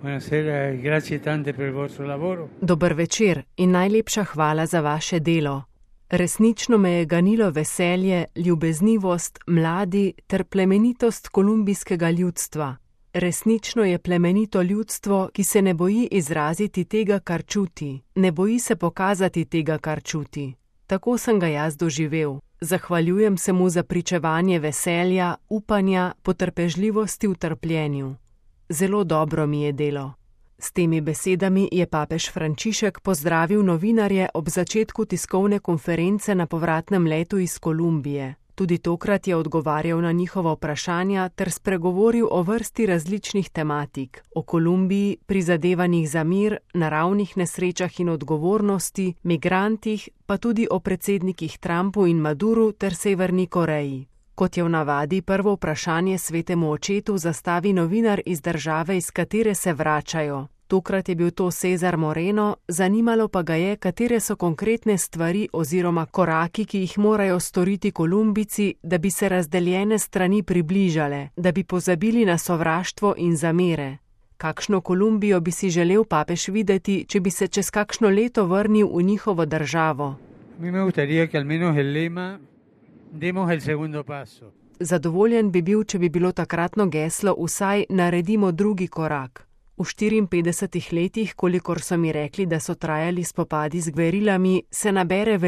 Buonasera e grazie tante per il vostro lavoro. Dober večer in najlepša hvala za vaše delo. Resnično me je ganilo veselje, ljubeznivost, mladi ter plemenitost kolumbijskega ljudstva. Resnično je plemenito ljudstvo, ki se ne boji izraziti tega, kar čuti, ne boji se pokazati tega, kar čuti. Tako sem ga jaz doživel. Zahvaljujem se mu za pričevanje veselja, upanja, potrpežljivosti v trpljenju. Zelo dobro mi je delo. S temi besedami je papež Frančišek pozdravil novinarje ob začetku tiskovne konference na povratnem letu iz Kolumbije. Tudi tokrat je odgovarjal na njihova vprašanja ter spregovoril o vrsti različnih tematik, o Kolumbiji, prizadevanjih za mir, naravnih nesrečah in odgovornosti, migrantih, pa tudi o predsednikih Trumpu in Maduru ter Severni Koreji. Kot je v navadi, prvo vprašanje svetemu očetu zastavi novinar iz države, iz katere se vračajo. Tokrat je bil to Cesar Moreno, zanimalo pa ga je, katere so konkretne stvari oziroma koraki, ki jih morajo storiti Kolumbijci, da bi se razdeljene strani približale, da bi pozabili na sovraštvo in zamere. Kakšno Kolumbijo bi si želel papež videti, če bi se čez kakšno leto vrnil v njihovo državo? Zadovoljen bi bil, če bi bilo takratno geslo vsaj naredimo drugi korak. V 54 letih, kolikor so mi rekli, da so trajali spopadi z gverilami, se nabere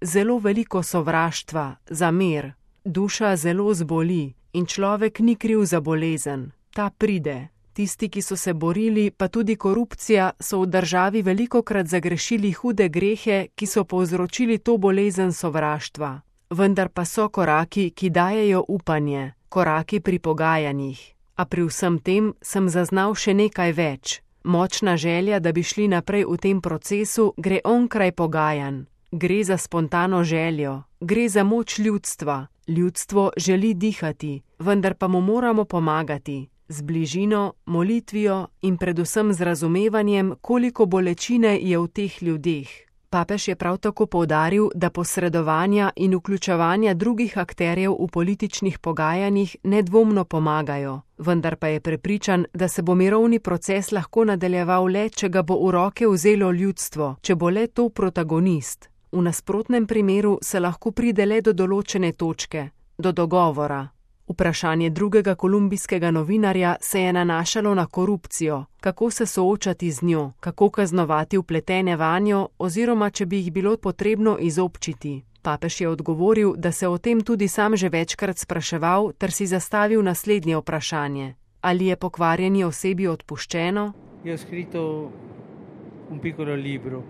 zelo veliko sovraštva, zamer. Duša zelo zboli in človek ni kriv za bolezen. Ta pride. Tisti, ki so se borili, pa tudi korupcija, so v državi velikokrat zagrešili hude grehe, ki so povzročili to bolezen sovraštva. Vendar pa so koraki, ki dajejo upanje, koraki pri pogajanjih. A pri vsem tem sem zaznal še nekaj več. Močna želja, da bi šli naprej v tem procesu, gre onkraj pogajanj. Gre za spontano željo, gre za moč ljudstva. Ljudstvo želi dihati, vendar pa mu moramo pomagati. Z bližino, molitvijo in predvsem z razumevanjem, koliko bolečine je v teh ljudeh. Papež je prav tako poudaril, da posredovanja in vključevanja drugih akterjev v političnih pogajanjih nedvomno pomagajo, vendar pa je prepričan, da se bo mirovni proces lahko nadaljeval le, če ga bo v roke vzelo ljudstvo, če bo le to protagonist. V nasprotnem primeru se lahko pride le do določene točke, do dogovora. Vprašanje drugega kolumbijskega novinarja se je nanašalo na korupcijo, kako se soočati z njo, kako kaznovati vpletene vanjo oziroma če bi jih bilo potrebno izobčiti. Papež je odgovoril, da se o tem tudi sam že večkrat spraševal ter si zastavil naslednje vprašanje. Ali je pokvarjeni osebi odpuščeno? Io ho scritto un piccolo libro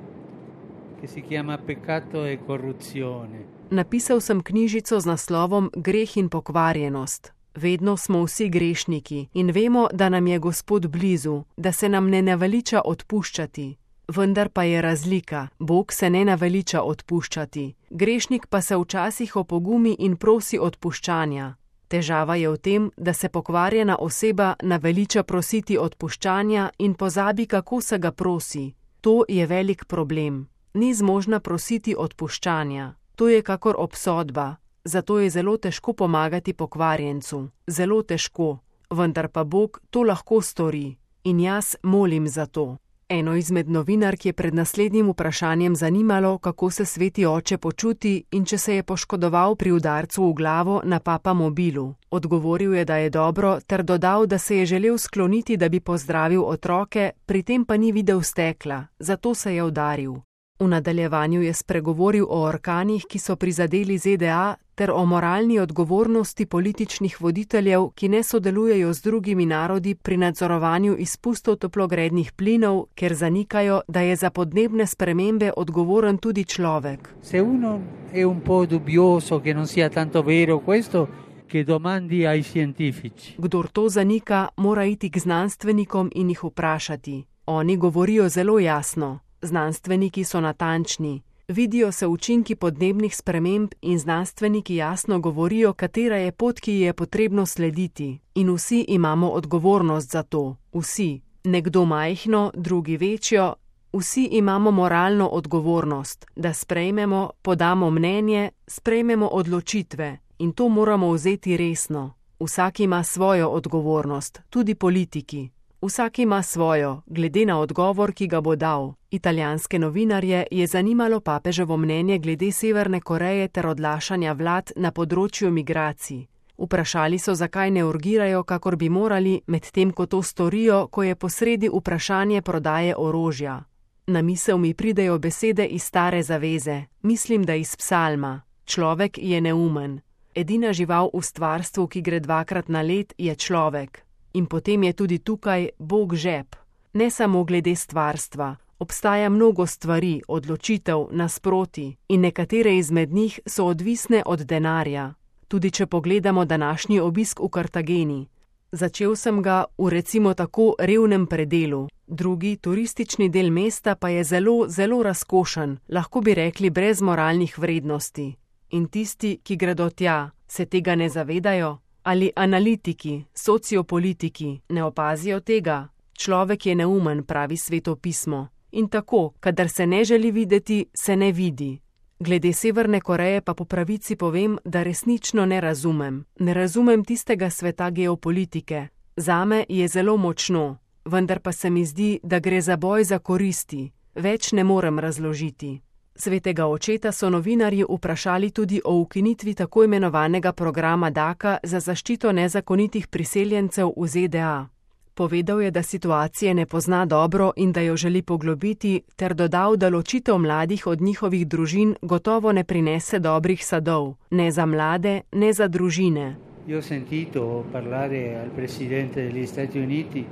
che si chiama Peccato e corruzione. Napisal sem knjižico z naslovom Greh in pokvarjenost. Vedno smo vsi grešniki in vemo, da nam je Gospod blizu, da se nam ne naveliča odpuščati. Vendar pa je razlika, Bog se ne naveliča odpuščati. Grešnik pa se včasih opogumi in prosi odpuščanja. Težava je v tem, da se pokvarjena oseba naveliča prositi odpuščanja in pozabi, kako se ga prosi. To je velik problem. Ni zmožna prositi odpuščanja. To je kakor obsodba, zato je zelo težko pomagati pokvarjencu. Zelo težko, vendar pa Bog to lahko stori in jaz molim za to. Eno izmed novinark je pred naslednjim vprašanjem zanimalo, kako se sveti oče počuti in če se je poškodoval pri udarcu v glavo na papa mobilu. Odgovoril je, da je dobro, ter dodal, da se je želel skloniti, da bi pozdravil otroke, pri tem pa ni videl stekla, zato se je udaril. V nadaljevanju je spregovoril o orkanih, ki so prizadeli ZDA, ter o moralni odgovornosti političnih voditeljev, ki ne sodelujejo z drugimi narodi pri nadzorovanju izpustov toplogrednih plinov, ker zanikajo, da je za podnebne spremembe odgovoren tudi človek. Se uno è un po' dubbioso che non sia tanto vero questo, che domandi ai scientifici. Kdor to zanika, mora iti k znanstvenikom in jih vprašati. Oni govorijo zelo jasno. Znanstveniki so natančni, vidijo se učinki podnebnih sprememb in znanstveniki jasno govorijo, katera je pot, ki ji je potrebno slediti. In vsi imamo odgovornost za to. Vsi. Nekdo majhno, drugi večjo. Vsi imamo moralno odgovornost, da sprejmemo, podamo mnenje, sprejmemo odločitve. In to moramo vzeti resno. Vsak ima svojo odgovornost, tudi politiki. Vsak ima svojo, glede na odgovor, ki ga bo dal. Italijanske novinarje je zanimalo papeževo mnenje glede Severne Koreje ter odlašanja vlad na področju migracij. Vprašali so, zakaj ne urgirajo, kakor bi morali, medtem ko to storijo, ko je posredi vprašanje prodaje orožja. Na misel mi pridejo besede iz Stare zaveze, mislim, da iz psalma. Človek je neumen. Edina žival v stvarstvu, ki gre 2-krat na let, je človek. In potem je tudi tukaj Bog žep. Ne samo glede stvarstva. Obstaja mnogo stvari, odločitev, nasproti in nekatere izmed njih so odvisne od denarja. Tudi če pogledamo današnji obisk v Kartageni. Začel sem ga v recimo tako revnem predelu. Drugi, turistični del mesta pa je zelo, zelo razkošen, lahko bi rekli brez moralnih vrednosti. In tisti, ki gredo tja, se tega ne zavedajo? Ali analitiki, sociopolitiki ne opazijo tega? Človek je neumen, pravi Sveto pismo. In tako, kadar se ne želi videti, se ne vidi. Glede Severne Koreje pa po pravici povem, da resnično ne razumem. Ne razumem tistega sveta geopolitike. Zame je zelo močno, vendar pa se mi zdi, da gre za boj za koristi. Več ne morem razložiti. Svetega očeta so novinarji vprašali tudi o ukinitvi tako imenovanega programa DACA za zaščito nezakonitih priseljencev v ZDA. Povedal je, da situacije ne pozna dobro in da jo želi poglobiti, ter dodal, da ločitev mladih od njihovih družin gotovo ne prinese dobrih sadov, ne za mlade, ne za družine. Io ho sentito parlare al presidente degli Stati Uniti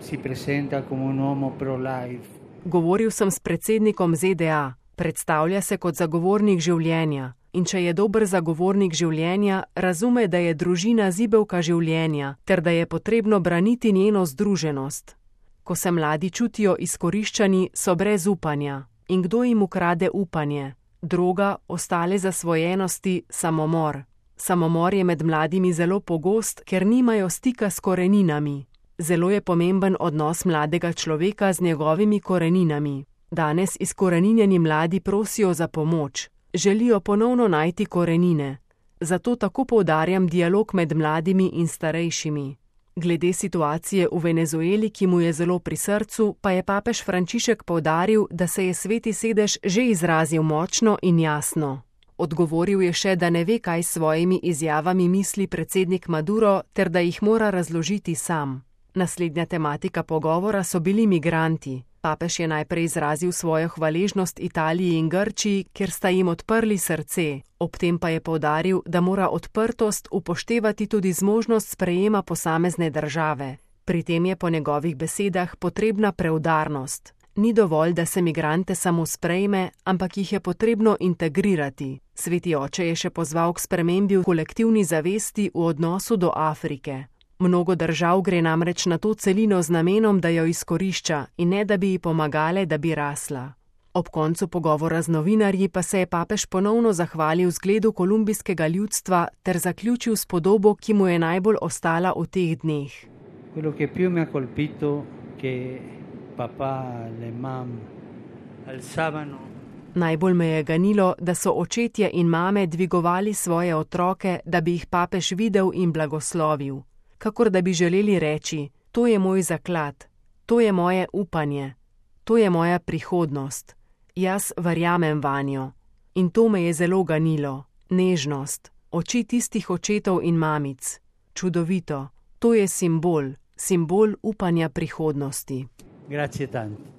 si presenta come un uomo pro-life. Govoril sem s predsednikom ZDA, predstavlja se kot zagovornik življenja. In če je dober zagovornik življenja, razume, da je družina zibelka življenja, ter da je potrebno braniti njeno združenost. Ko se mladi čutijo izkoriščani, so brez upanja. In kdo jim ukrade upanje? Droga, ostale zasvojenosti, samomor. Samomor je med mladimi zelo pogost, ker nimajo stika s koreninami. Zelo je pomemben odnos mladega človeka z njegovimi koreninami. Danes izkoreninjeni mladi prosijo za pomoč. Želijo ponovno najti korenine. Zato tako poudarjam dialog med mladimi in starejšimi. Glede situacije v Venezueli, ki mu je zelo pri srcu, pa je papež Frančišek poudaril, da se je Sveti sedež že izrazil močno in jasno. Odgovoril je še, da ne ve, kaj s svojimi izjavami misli predsednik Maduro, ter da jih mora razložiti sam. Naslednja tematika pogovora so bili migranti. Papež je najprej izrazil svojo hvaležnost Italiji in Grčiji, ker sta jim odprli srce. Ob tem pa je poudaril, da mora odprtost upoštevati tudi zmožnost sprejema posamezne države. Pri tem je po njegovih besedah potrebna preudarnost. Ni dovolj, da se migrante samo sprejme, ampak jih je potrebno integrirati. Sveti oče je še pozval k spremembi v kolektivni zavesti v odnosu do Afrike. Mnogo držav gre namreč na to celino z namenom, da jo izkorišča in ne da bi ji pomagale, da bi rasla. Ob koncu pogovora z novinarji pa se je papež ponovno zahvalil zgledu kolumbijskega ljudstva ter zaključil s podobo, ki mu je najbolj ostala v teh dneh. Quello che più mi ha colpito che papà, le mam alzavano. Najbolj me je ganilo, da so očetje in mame dvigovali svoje otroke, da bi jih papež videl in blagoslovil. Kakor da bi želeli reči, to je moj zaklad, to je moje upanje, to je moja prihodnost, jaz verjamem vanjo. In to me je zelo ganilo, nežnost, oči tistih očetov in mamic. Čudovito, to je simbol upanja prihodnosti. Grazie tanto.